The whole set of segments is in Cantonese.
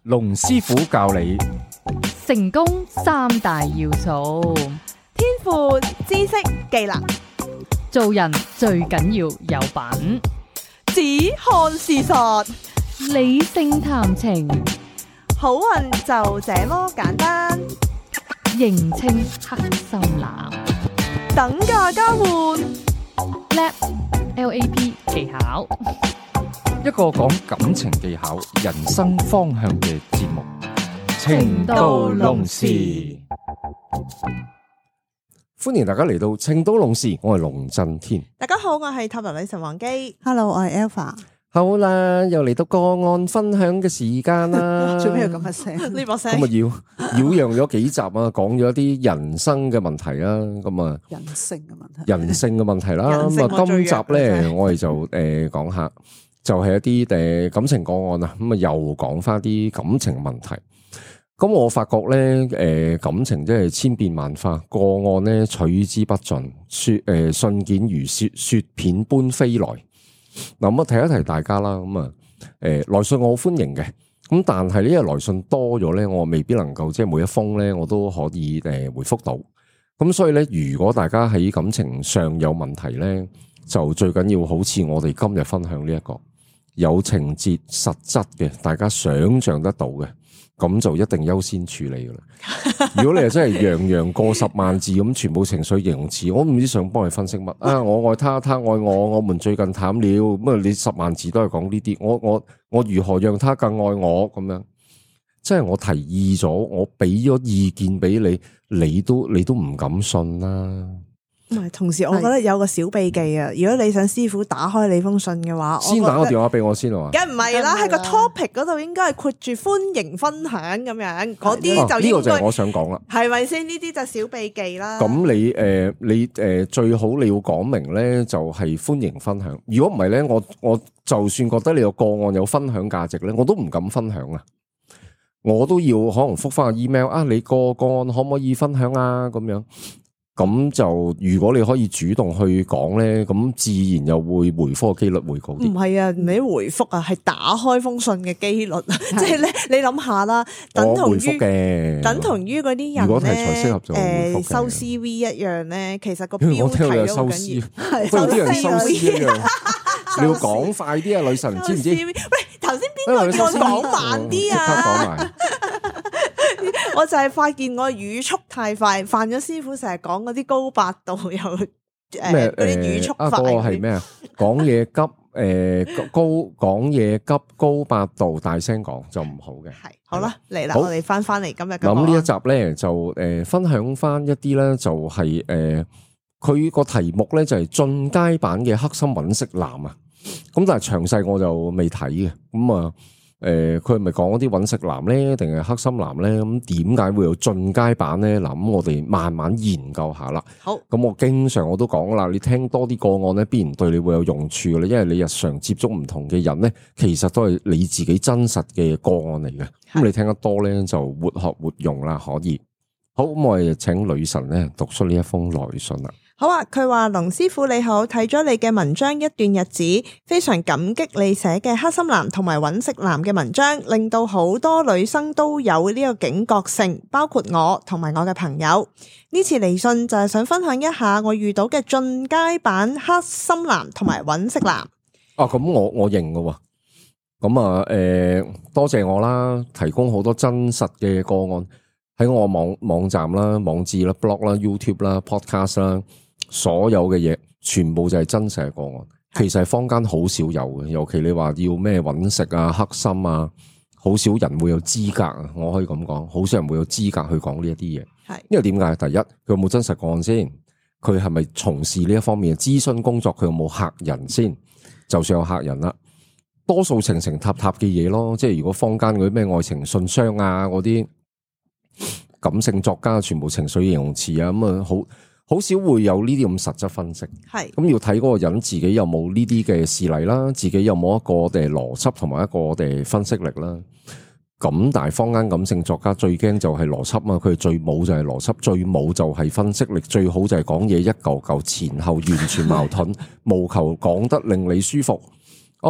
龍師傅教你成功三大要素，天賦、知識、技能，做人最緊要有品，只看事實，理性談情，好運就這麼簡單。認清黑心男，等價交換LAP 技巧，一個講感情技巧、人生方向嘅節目《情到濃時》。歡迎大家嚟到《情到濃時》，我係龍震天。大家好，我係塔羅女神王姬。Hello， 我係 Alpha。好啦，又嚟到個案分享嘅時間啦。做咩要咁嘅聲？呢把聲咁啊擾攘咗幾集啊，講咗啲人生嘅問題啦。咁啊，人性嘅問題。人性嘅問題啦。人性咁啊，今集咧最弱我哋就講下，就係一啲感情個案啊。咁啊，又講翻啲感情問題。咁我發覺咧，感情真係千變萬化，個案咧取之不盡，信件如雪片般飛來。嗱，咁啊提一提大家啦。咁啊，來信我好歡迎嘅。咁但係呢，因為來信多咗咧，我未必能夠即係每一封咧，我都可以回覆到。咁所以咧，如果大家喺感情上有問題咧，就最緊要好似我哋今日分享呢一個有情節實質嘅，大家想象得到嘅。咁就一定優先處理噶啦。如果你係真係洋洋過10萬字咁，全部情緒形容詞，我唔知想幫你分析乜啊！我愛他，他愛我，我們最近淡了。咁啊，你10萬字都係講呢啲，我如何讓他更愛我咁樣？即係我提議咗，我俾咗意見俾你，你都唔敢信啦。唔係，同時我覺得有個小秘技啊！如果你想師傅打開你封信嘅話，先打個電話俾我先啊！梗唔係啦，喺個 topic 嗰度應該係括住歡迎分享咁樣，嗰啲就應該呢個就係我想講啦，係咪先？呢啲就小秘技啦。咁你最好你要講明咧，就係歡迎分享。如果唔係咧，我就算覺得你個個案有分享價值咧，我都唔敢分享啊！我都要可能覆翻個 email 啊，你個案可唔可以分享啊？咁樣。咁就如果你可以主動去講咧，咁自然又會回覆嘅機率會高啲。唔係啊，唔係回覆啊，係打開封信嘅機率啊！即係咧，你諗下啦，等同於嗰啲人咧，如果題材適合就收 CV 一樣咧，其實個標題都好緊要，不如啲人收 CV 一樣，你要講快啲啊，女神知唔知？喂，頭先邊個叫我講慢啲啊？即刻講埋。我就係發現我語速太快，犯咗師傅成日講嗰啲高八度又嗰啲語速快。嗰個係咩啊？講嘢急講嘢急高八度，大聲講就唔好嘅。係好啦，嚟啦，我哋翻嚟今日嘅。咁呢一集咧就分享翻一啲咧，就係佢個題目咧就係進階版嘅黑心揾食男啊。咁但係詳細我就未睇嘅。咁啊。佢係咪講嗰啲揾食男咧，定係黑心男咧？咁點解會有進階版咧？嗱，咁我哋慢慢研究下啦。好，咁我經常我都講啦，你聽多啲個案咧，必然對你會有用處嘅咧，因為你日常接觸唔同嘅人咧，其實都係你自己真實嘅個案嚟嘅。咁你聽得多咧，就活學活用啦，可以。好，咁我哋請女神咧讀出呢一封來信啦。好啊，佢話龍師傅你好，睇咗你嘅文章一段日子，非常感激你寫嘅黑心男同埋揾食男嘅文章，令到好多女生都有呢個警覺性，包括我同埋我嘅朋友。呢次嚟信就係想分享一下我遇到嘅進階版黑心男同埋揾食男。啊，咁我認㗎喎。咁啊，多謝我啦，提供好多真實嘅個案喺我網站啦、網誌啦、blog 啦、YouTube 啦、podcast 啦。所有嘅嘢全部就係真實嘅個案，其實係坊間好少有嘅，尤其你話要咩揾食啊、黑心啊，好少人會有資格啊，我可以咁講，好少人會有資格去講呢一啲嘢。係，因為點解？第一，佢有冇真實個案先？佢係咪從事呢一方面嘅諮詢工作？佢有冇客人先？就算有客人啦，多數情塔嘅嘢咯，即係如果坊間嗰啲咩愛情信箱啊，嗰啲感性作家全部情緒形容詞啊，咁啊好少會有呢啲咁實質分析，係咁要睇嗰個人自己有冇呢啲嘅事例啦，自己有冇一個邏輯同埋一個分析力啦。咁但係坊間感性作家最驚就係邏輯嘛，佢最冇就係邏輯，最冇就係分析力，最好就係講嘢一嚿嚿前後完全矛盾，務求講得令你舒服。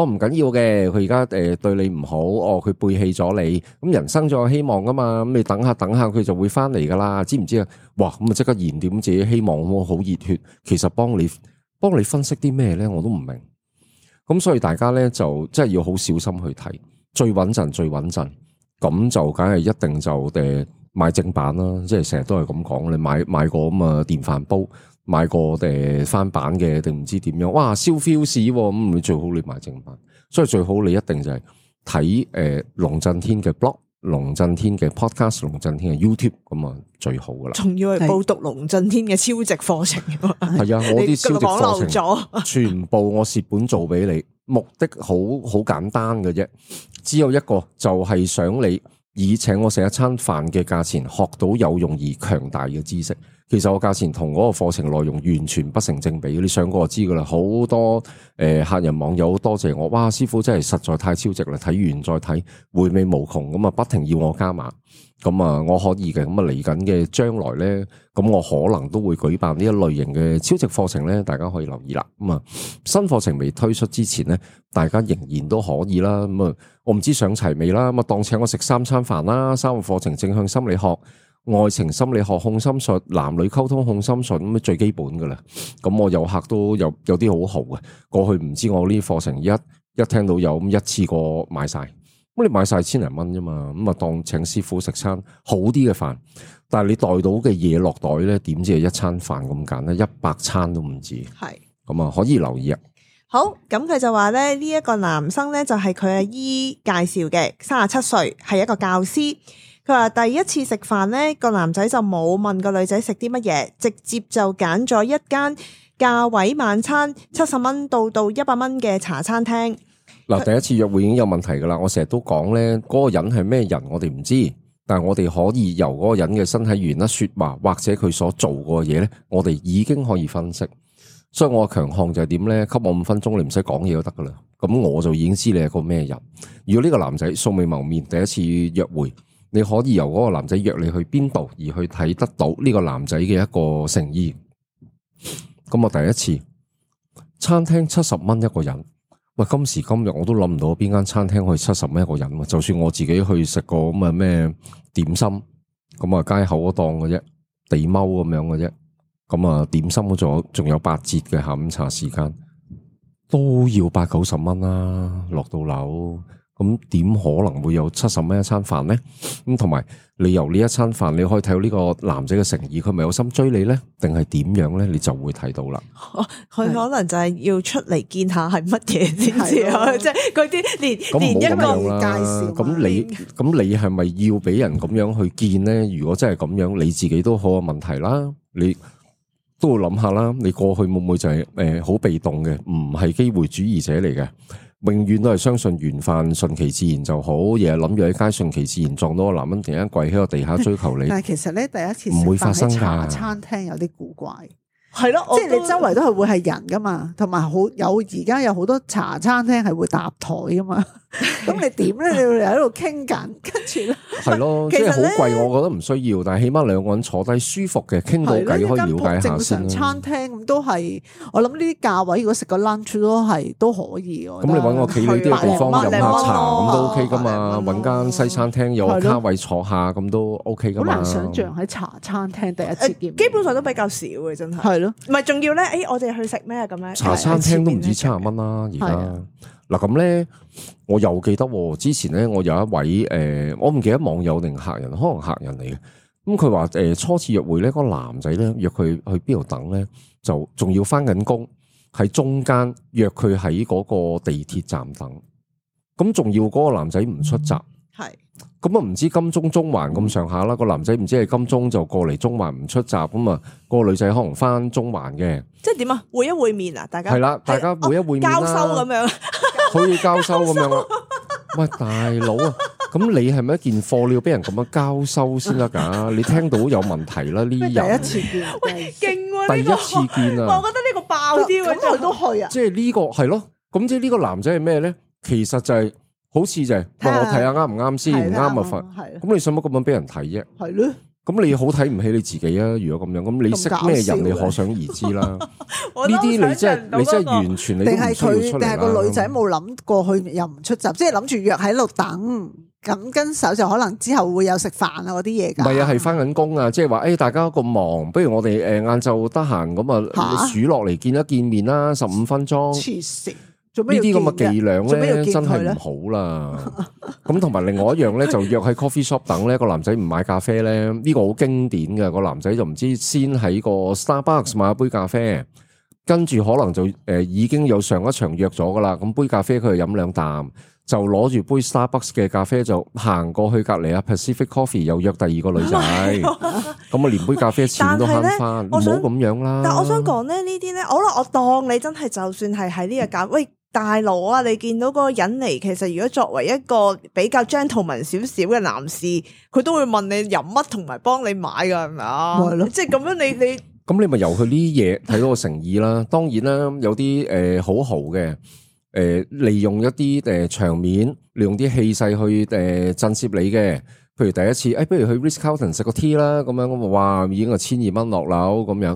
唔緊要嘅，佢而家對你唔好，佢背棄咗你，咁人生仲有希望噶嘛，咁你等下佢就會翻嚟噶啦，知唔知啊？哇，咁啊即刻燃點自己希望，咁好熱血。其實幫你分析啲咩咧，我都唔明。咁所以大家咧就真係要好小心去睇，最穩陣，咁就梗係一定就買正版啦，即係成日都係咁講，你買個咁啊電飯煲。買個翻版嘅定唔知點樣？哇，燒 feel 咁，你最好你買正版。所以最好你一定就係睇龍震天嘅 blog、龍震天嘅 podcast、龍震天嘅 YouTube 咁啊，最好噶啦。仲要係報讀龍震天嘅超值課程。係啊，我啲超值課程咗，全部我蝕本做俾你，目的好簡單嘅啫，只有一個就係想你以請我食一餐飯嘅價錢學到有用而強大嘅知識。其實我價錢同嗰個課程內容完全不成正比，你上過就知噶啦。好多客人網友多謝我，哇！師傅真係實在太超值啦，睇完再睇，回味無窮，咁啊不停要我加碼，咁啊我可以嘅，咁啊嚟緊嘅將來咧，咁我可能都會舉辦呢一類型嘅超值課程咧，大家可以留意啦。咁啊新課程未推出之前咧，大家仍然都可以啦。咁啊我唔知上齊未啦，咁啊當請我食3餐飯啦，3個課程正向心理學。愛情心理學、控心術、男女溝通控心術咁最基本噶啦。咁我有客都有啲好豪嘅，過去唔知我呢啲課程一聽到有咁一次過買晒，咁你買晒千零蚊啫嘛，咁啊當請師傅食餐好啲嘅飯，但係你帶到嘅嘢落袋咧，點知係一餐飯咁簡單，100餐都唔止。係咁啊，可以留意啊。好，咁佢就話咧呢一個男生咧就係佢阿姨介紹嘅，37歲，係一個教師。佢話第一次食飯咧，個男仔就冇問個女仔食啲乜嘢，直接就揀咗一間價位晚餐70蚊到100蚊嘅茶餐廳。嗱，第一次約會已經有問題噶啦，我成日都講咧，嗰個人係咩人我哋唔知，但係我哋可以由嗰個人嘅身體語言啦、說話或者佢所做過嘅嘢咧，我哋已經可以分析。所以我嘅強項就係點咧？給我5分鐘，你唔使講嘢都得噶啦。咁我就已經知你係個咩人。如果呢個男仔素未謀面，第一次約會。你可以由嗰個男仔約你去邊度，而去睇得到呢個男仔嘅一個誠意。咁我第一次餐廳70蚊一個人，喂，今時今日我都諗唔到邊間餐廳可以70蚊一個人。就算我自己去食個咁啊咩點心，咁啊街口嗰檔嘅啫，地踎咁樣嘅啫。咁啊點心嗰仲有8折嘅下午茶時間，都要80-90蚊啦，落到樓。咁點可能會有70蚊一餐飯呢？咁同埋你由呢一餐飯，你可以睇到呢個男仔嘅誠意，佢咪有心追你呢？定係點樣呢？你就會睇到啦。佢可能就係要出嚟見下係乜嘢先至啊！即係嗰啲連一個介紹。咁你係咪要俾人咁樣去見呢？如果真係咁樣，你自己都好有問題啦。你都要諗下啦。你過去會唔會就係好被動嘅，唔係機會主義者嚟嘅？永遠都係相信緣分，順其自然就好。日日諗住喺街順其自然撞到個男人突然間跪喺個地下追求你，但係其實咧第一次唔會發生㗎。茶餐廳有啲古怪，係咯，即係你周圍都係會係人噶嘛，同埋而家有好多茶餐廳係會搭台噶嘛。咁你點咧？你喺度傾緊，跟住咧係咯，即係好貴，我覺得唔需要。但係起碼2個人坐低舒服嘅，傾到偈可以了解下先。正常餐廳咁都係，我諗呢啲價位如果食個 lunch 都可以。咁你搵個企理啲嘅地方飲下茶咁都 OK 噶嘛？搵間西餐廳有個卡位坐下咁都 OK 噶嘛？好難想象喺茶餐廳第一次見，基本上都比較少嘅，真係。係咯，唔係仲要咧？我哋去食咩咁樣？茶餐廳都唔止70蚊啦，而家。嗱咁咧，我又記得之前咧，我有一位我唔記得網友定客人，可能客人嚟嘅。咁佢話初次約會咧，嗰個男仔咧約佢去邊度等咧，就仲要翻緊工喺中間約佢喺嗰個地鐵站等。咁仲要嗰個男仔唔出閘，係咁啊，唔知金鐘中環咁上下啦。個男仔唔知係金鐘就過嚟中環唔出閘，咁啊個女仔可能翻中環嘅。即係點啊？會一會面啊？大家係啦，大家會一會面啦，交收咁樣。可以交收咁樣啊？喂，大佬啊，咁你係咪一件貨？你要俾人咁樣交收先得噶？你聽到有問題啦？呢人第一次見，喂，勁喎！第一次見啊！我覺得呢個爆啲喎，咁佢都去啊！即係呢個係咯，咁即係呢個男仔係咩咧？其實就係好似就係，我睇下啱唔啱先，唔啱咪罰。咁你使乜咁樣俾人睇啫？係咯。咁你好睇唔起你自己啊？如果咁樣，咁你識咩人，你可想而知啦。呢啲你真係完全你都唔需要出嚟啦。定係個女仔冇諗過去又唔出閘，即係諗住約喺度等，咁跟手就可能之後會有食飯啊嗰啲嘢㗎。唔係啊，係翻緊工啊，即係話大家咁忙，不如我哋晏晝得閒咁啊數落嚟見一見面啦，15分鐘。黐線！呢啲咁嘅伎倆咧，真係唔好啦。咁同埋另外一樣咧，就約喺 coffee shop 等咧，個男仔唔買咖啡咧，呢個好經典嘅。個男仔就唔知先喺個 Starbucks 買一杯咖啡，跟住可能就已經有上一場約咗噶啦。咁杯咖啡佢就飲2啖，就攞住杯 Starbucks 嘅咖啡就行過去隔離啊 Pacific Coffee 又約第二個女仔，咁啊連杯咖啡錢都慳翻，唔好咁樣啦。但我想講咧，呢啲咧，我當你真係就算係喺呢個價，喂。大佬啊！你見到嗰個人嚟，其實如果作為一個比較 gentleman 少少嘅男士，佢都會問你飲乜同埋幫你買㗎，係咪啊？即係咁樣你咁你咪由佢呢啲嘢睇到個誠意啦。當然啦，有啲好豪嘅利用一啲場面，利用啲氣勢去震懾你嘅。譬如第一次，不如去 Ritz-Carlton 食個 tea 啦，咁樣咁哇，已經係1200落樓咁樣，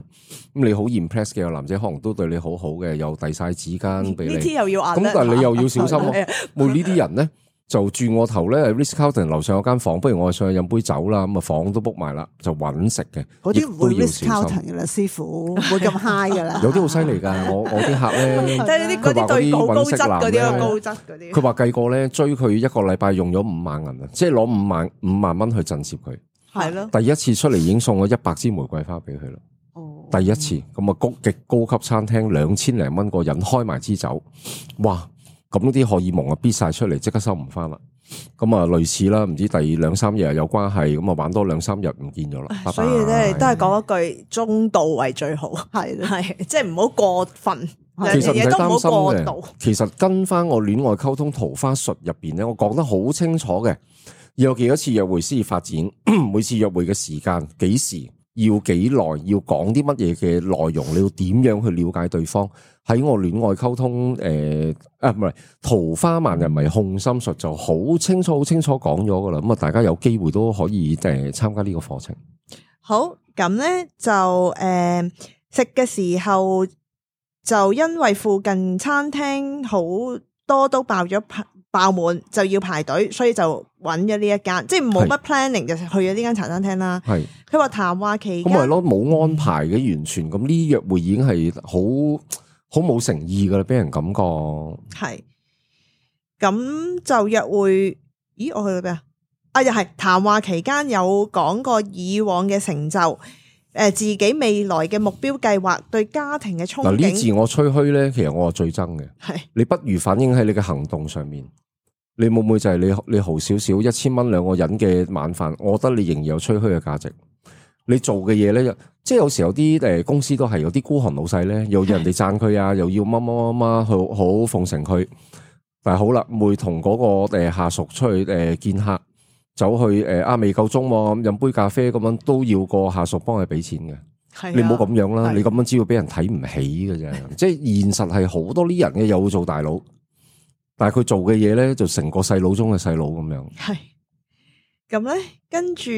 咁你好 impress 嘅個男仔，可能都對你好好嘅，又遞晒紙巾俾你。呢啲又要壓力，咁但係你又要小心咯。冇呢啲人咧，就轉我頭咧 Ritz-Carlton 樓上有間房，不如我上去飲杯酒啦，咁啊房都 book 埋啦，就揾食嘅。嗰啲唔會 Ritz-Carlton 嘅啦，師傅唔會咁 high 噶啦。有啲好犀利㗎，我啲客咧，佢話嗰啲揾食男咧，高質嗰啲，佢話計過咧追佢一個禮拜用咗5萬銀啊，即係攞5萬蚊去震懾佢。係咯，第一次出嚟已經送咗100支玫瑰花俾佢啦。哦，第一次咁啊，極高級餐廳2000零蚊個人開埋支酒，哇！咁啲荷爾蒙啊，逼晒出嚟，即刻收唔翻啦。咁啊，類似啦，唔知第2-3日有關係，咁啊玩多2-3日唔見咗啦。所以咧都係講一句中度為最好，係即係唔好過分，其實唔使都唔好過擔心嘅。其實跟翻我戀愛溝通桃花術入邊咧，我講得好清楚嘅，有幾多次約會先至發展，每次約會嘅時間幾時。要幾耐？要講啲乜嘢嘅內容？你要點樣去了解對方？喺我戀愛溝通唔係桃花萬人迷控心術就好清楚講咗噶啦。咁啊，大家有機會都可以參加呢個課程。好，咁咧就食嘅時候就因為附近餐廳好多都爆滿，就要排隊，所以就揾咗呢一間，即係冇乜 planning 就去咗呢間茶餐廳啦。係佢話談話期間，咁咪咯，冇安排嘅完全，咁呢啲約會已經係好冇誠意噶啦，俾人感覺。係咁就約會，咦？我去到邊啊？啊，又係談話期間有講過以往嘅成就。自己未來嘅目標計劃，對家庭嘅憧憬。嗱，呢自我吹噓咧，其實我係最憎嘅。係你不如反映喺你嘅行動上面。你會唔會就係你豪少少1000蚊2個人嘅晚飯？我覺得你仍然有吹噓嘅價值。你做嘅嘢咧，即係有時有啲公司都係有啲孤寒老細咧，又要人哋讚佢啊，又要乜好奉承佢。但係好啦，會同嗰個下屬出去見客。走去未夠鐘咁飲杯咖啡咁樣都要個下屬幫佢俾錢嘅，你唔好咁樣啦，你咁樣只會俾人睇唔起嘅啫。即係現實係好多啲人嘅又做大佬，但係佢做嘅嘢咧就成個細佬中嘅細佬咁樣。係咁咧，跟住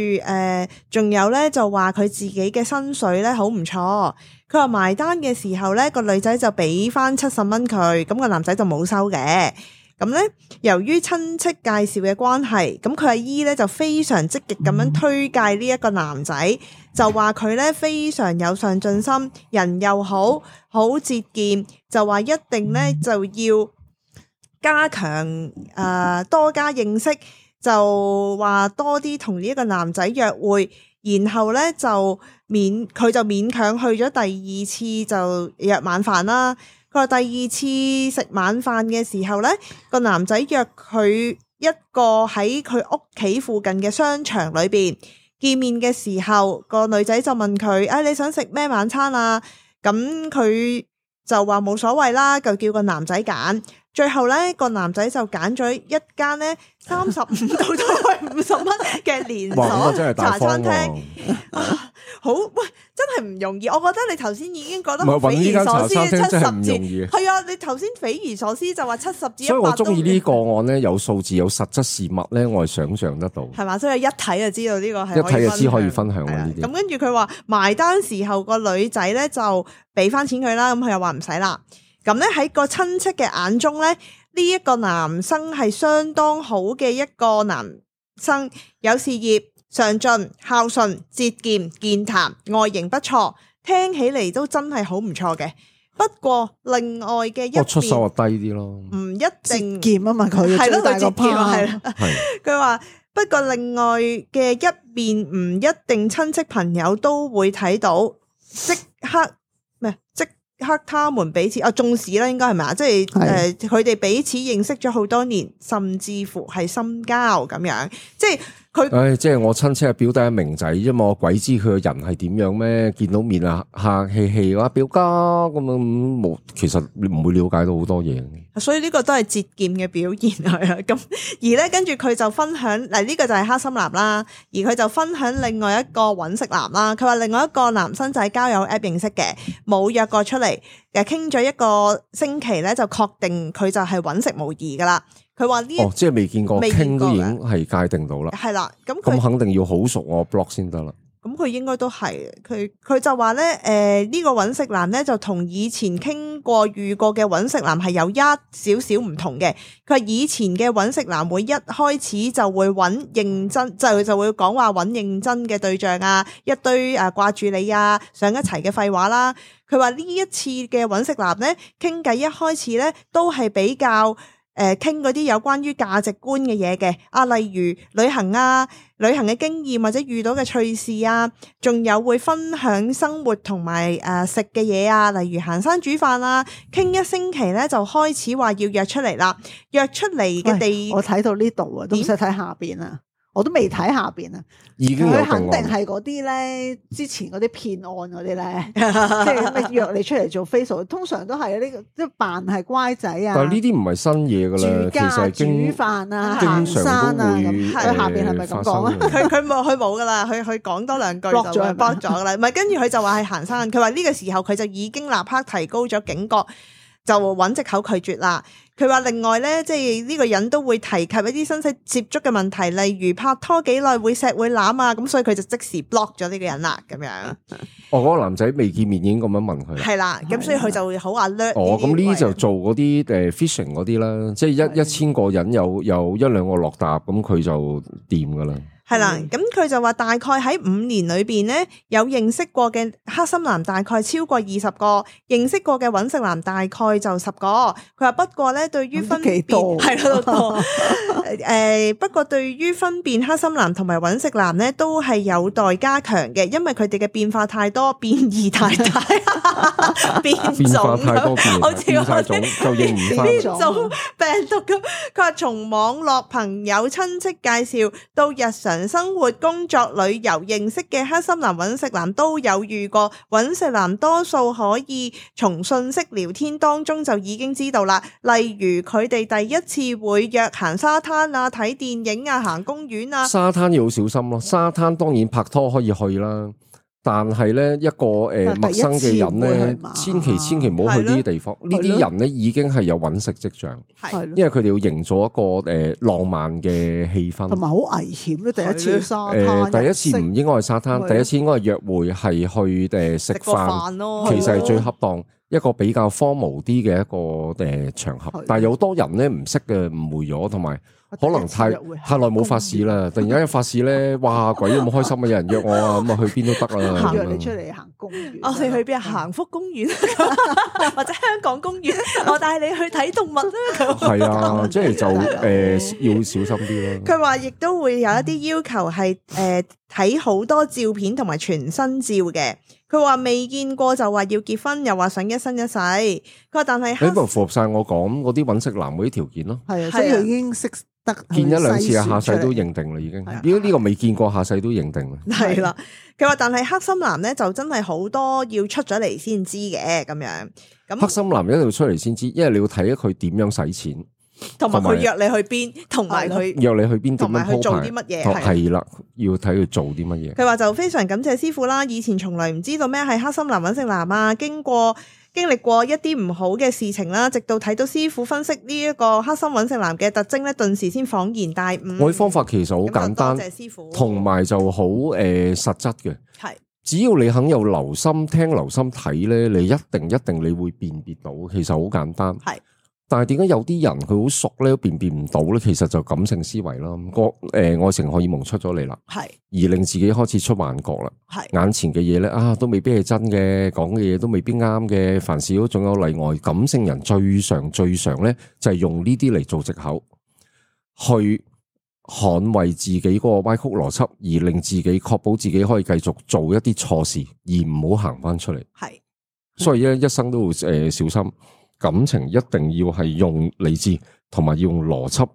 仲有咧就話佢自己嘅薪水咧好唔錯，佢話埋單嘅時候咧個女仔就俾翻70蚊佢，咁個男仔就冇收嘅。咁咧，由於親戚介紹嘅關係，咁佢阿姨咧就非常積極咁樣推介呢一個男仔，就話佢咧非常有上進心，人又好，好節儉，就話一定咧就要加強多加認識，就話多啲同呢一個男仔約會，然後咧佢就勉強去咗第2次就約晚飯啦。佢話第2次食晚飯嘅時候咧，個男仔約佢一個喺佢屋企附近嘅商場裏邊見面嘅時候，個女仔就問佢：你想食咩晚餐啊？咁佢就話冇所謂啦，就叫個男仔揀。最後咧，個男仔就揀咗一間咧35到50蚊嘅連鎖茶餐廳。好喂，真係唔容易。我覺得你頭先已經覺得唔係揾呢匪夷間茶所思，餐廳真係唔70容易字係啊！你頭先匪夷所思就話70至100，所以我中意呢個案咧，有數字有實質事物咧，我係想象得到。係嘛？所以一睇就知道呢個係一睇就知可以分享係啊呢啲。咁跟住佢話埋單時候個女仔咧就俾翻錢佢啦，咁佢又話唔使啦。咁咧喺個親戚嘅眼中咧，呢一個男生係相當好嘅一個男生，有事業、上進、孝順、節儉、健談，外形不錯，聽起嚟都真係好唔錯嘅。不過另外嘅一我出手邊就低啲咯。唔一定劍啊嘛，佢係咯，最大個佢節儉啊，係啦。係佢話不過另外嘅一邊唔一定親戚朋友都會睇到，即刻他們彼此重視啦，應該係咪啊？即係佢哋彼此認識咗好多年，甚至乎係深交咁樣，即係佢。即係我親戚係表弟係明仔啫嘛，我鬼知佢個人係點樣咩？見到面啊，客氣氣話表家咁樣冇，其實你唔會了解到好多嘢。所以呢個都係節儉嘅表現係啊，咁而咧跟住佢就分享嗱，呢個就係黑心男啦，而佢就分享另外一個揾食男啦。佢話另外一個男生就係交友 app 認識嘅，冇約過出嚟，傾咗一個星期咧就確定佢就係揾食無疑噶啦。佢話呢，即係未見過，傾都已經係界定到啦。係啦，咁肯定要好熟我 block 先得啦。咁佢應該都係，佢就話咧，呢個揾食男咧就同以前傾過遇過嘅揾食男係有一少少唔同嘅。佢話以前嘅揾食男會一開始就會揾認真，就會講話揾認真嘅對象啊，一堆掛住你啊，上一齊嘅廢話啦。佢話呢一次嘅揾食男咧傾偈一開始咧都係比較傾嗰啲有關於價值觀嘅嘢嘅，例如旅行啊、旅行嘅經驗或者遇到嘅趣事啊，仲有會分享生活同埋食嘅嘢啊，例如行山煮飯啊，傾一星期咧就開始話要約出嚟啦，約出嚟嘅地，我睇到呢度啊，都唔使睇下邊啊。我都未睇下邊啊，已經有佢肯定係嗰啲咧，之前嗰啲騙案嗰啲咧，即係咩約你出嚟做 Facebook， 通常都係呢個即係扮係乖仔啊。但係呢啲唔係新嘢噶啦，其實煮飯啊、行山啊咁。佢下邊係咪咁講啊？佢冇噶啦，佢講多兩句就 block 咗噶啦。唔係，跟住佢就話係行山。佢話呢個時候佢就已經立刻提高咗警覺，就揾藉口拒絕啦。佢話另外咧，即係呢個人都會提及一啲身體接觸嘅問題，例如拍拖幾耐會錫會攬啊，咁所以佢就即時 block 咗呢個人啦，咁樣。嗰個男仔未見面已經咁樣問佢。係啦，咁所以佢就會好alert。咁呢啲就做嗰啲phishing 嗰啲啦，即係一千個人有一兩個落搭，咁佢就掂噶啦。係啦，咁佢就話大概喺5年裏邊咧，有認識過嘅黑心男大概超過20個，認識過嘅揾食男大概就10個。佢話不過咧，對於分辨係咯多，不過對於分辨黑心男同埋揾食男咧，都係有待加強嘅，因為佢哋嘅變化太多，變異太大，變化太多，好似變晒種就認唔翻變種病毒咁。佢話從網絡朋友親戚介紹到日常生活、工作、旅遊認識嘅黑心男、揾食男都有遇過。揾食男多數可以從信息聊天當中就已經知道啦，例如佢哋第一次會約行沙灘啊、睇電影啊、行公園啊。沙灘要好小心咯，沙灘當然拍拖可以去啦。但係咧一個陌生嘅人咧，千祈唔好去呢啲地方。呢啲人咧已經係有揾食跡象，因為佢哋要營造一個浪漫嘅氣氛，同埋好危險咧。第一次去沙灘，第一次唔應該去沙灘，第一次應該係約會，係去食飯咯。其實係最恰當一個比較荒謬啲嘅一個場合。但係有好多人咧唔識嘅誤會咗，同埋可能太耐冇發事啦，突然間一發事咧，哇鬼咁開心啊！有人約我啊，咁啊去邊都得啦。約你出嚟行公園，我哋去邊啊？行福公園或者香港公園，我帶你去睇動物啦。係啊，即係就要小心啲咯。佢話亦都會有一啲要求係睇好多照片同埋全身照嘅。佢話未見過就話要結婚，又話想一生一世。佢話但係你咪符合晒我講嗰啲揾食男嗰啲條件咯。係啊，所以佢已經識得見一兩次啊，下世都認定啦，已經。如果呢個未見過，下世都認定啦。係啦，佢話但係黑心男咧就真係好多要出咗嚟先知嘅咁樣。咁黑心男一定要出嚟先知，因為你要睇佢點樣使錢。同埋同埋佢約你去邊，同埋佢約你去邊點同埋樣鋪排佢做啲乜嘢係係啦，要睇佢做啲乜嘢。佢話就非常感謝師傅啦，以前從來唔知道咩係黑心男揾食男啊，經歷過一啲唔好嘅事情啦，直到睇到師傅分析呢一個黑心揾食男嘅特徵咧，頓時先恍然大悟。我啲方法其實好簡單咁就多謝師傅，同埋就好實質嘅。係只要你肯有留心聽、留心睇咧，你一定你會辨別到。其實好簡單。係。但係點解有啲人佢好熟咧都辨別唔到咧？其實就感性思維啦，愛情荷爾蒙出咗嚟啦，係而令自己開始出幻覺啦。係眼前嘅嘢咧都未必係真嘅，講嘅嘢都未必啱嘅，凡事都總有例外。感性人最常咧就係用呢啲嚟做藉口，去捍衛自己嗰個歪曲邏輯，而令自己確保自己可以繼續做一啲錯事，而唔好行翻出嚟。係，所以咧一生都要小心。感情一定要係用理智同埋要用邏輯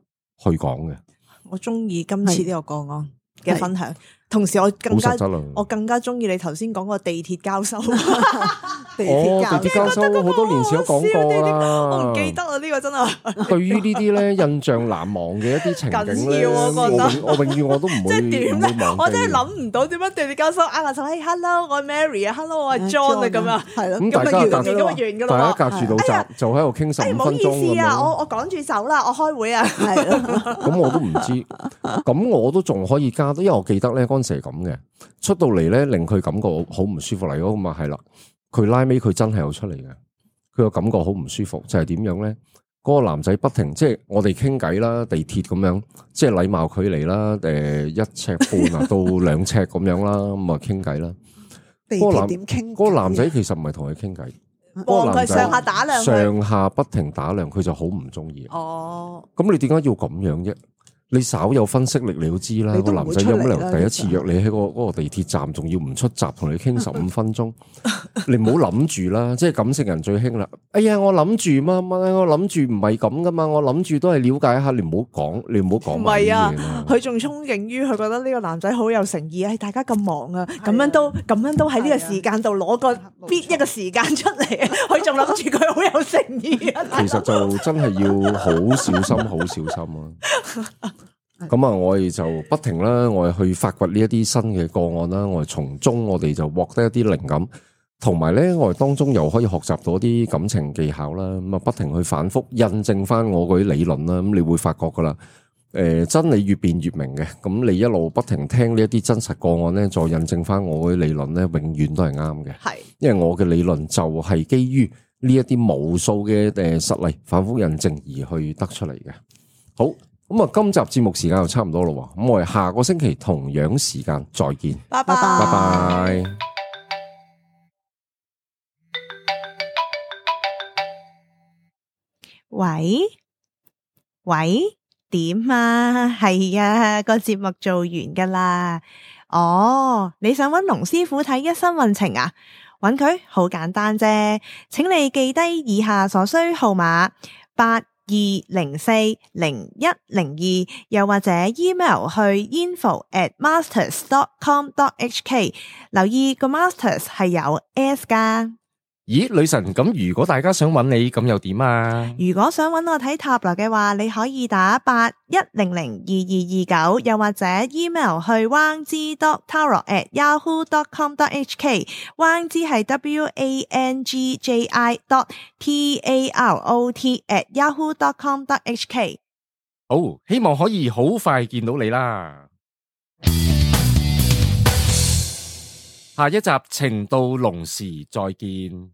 去講嘅。我中意今次呢個個案嘅分享，同時我更加中意你頭先講個地鐵交收。地鐵交收好多年前都講過啦，我唔記得啦，呢個真係。對於呢啲咧印象難忘嘅一啲情景咧，我永遠我都唔會即係點咧？忘記。我真係諗唔到點樣地鐵交收握下手，嘿 hello 我係 Mary 啊 ，hello 我係 John 啊咁啊，係咯，咁大家隔住道閘就喺度傾15分鐘咁樣。唔好意思啊，我趕住走啦，我開會啊，係咯。咁我都唔知，咁我都仲可以加，因為我記得咧嗰陣時係咁嘅，出到嚟咧令佢感覺好唔舒服嚟咯，咁啊係啦。佢拉尾佢真係有出嚟嘅，佢個感覺好唔舒服，就係點樣咧？嗰個男仔不停即係我哋傾偈啦，地鐵咁樣，即係禮貌距離啦，1.5尺到2尺咁樣啦，咁啊傾偈啦。地鐵點傾？嗰個男仔其實唔係同佢傾偈，望佢上下打量，上下不停打量，佢就好唔中意。哦，咁你點解要咁樣啫？你稍有分析力，你都知啦。個男仔有乜理由第一次約你喺嗰個地鐵站，仲要唔出閘同你傾15分鐘？你唔好諗住啦，即係感性人最興啦。哎呀，我諗住乜乜，我諗住唔係咁噶嘛，我諗住都係了解下，你唔好講，你唔好講。唔係啊，佢仲憧憬於佢覺得呢個男仔好有誠意，大家咁忙啊，咁樣都喺呢個時間度攞個必一個時間出嚟，佢仲諗住佢好有誠意啊。其實就真係要好小心，好小心啊！咁啊，我哋就不停啦，我哋去發掘呢一啲新嘅個案啦，我哋從中我哋就獲得一啲靈感，同埋咧我哋當中又可以學習到啲感情技巧啦，咁啊不停去反覆印證翻我嗰啲理論啦，咁你會發覺噶啦，真理越辯越明嘅，咁你一路不停聽呢一啲真實個案咧，再印證翻我嗰啲理論咧，永遠都係啱嘅，係，因為我嘅理論就係基於呢一啲無數嘅實例反覆印證而去得出嚟嘅，好。咁啊，今集節目時間就差唔多咯，咁我哋下個星期同樣時間再見，拜拜，拜拜。喂，點啊？係啊，個節目做完噶啦。哦，你想揾龍師傅睇一生運程啊？揾佢好簡單啫，請你記低以下所需號碼82040102，又或者 email 去 info@masters.com.hk， 留意個 masters 係有 S 噶。咦，女神，咁如果大家想揾你，咁又點啊？如果想揾我睇塔羅嘅話，你可以打81002229，又或者 email 去 wangji.tarot@yahoo.com.hk， wangji 係 WANGJI.TAROT@yahoo.com.hk。好，希望可以好快見到你啦。下一集情到濃時再見。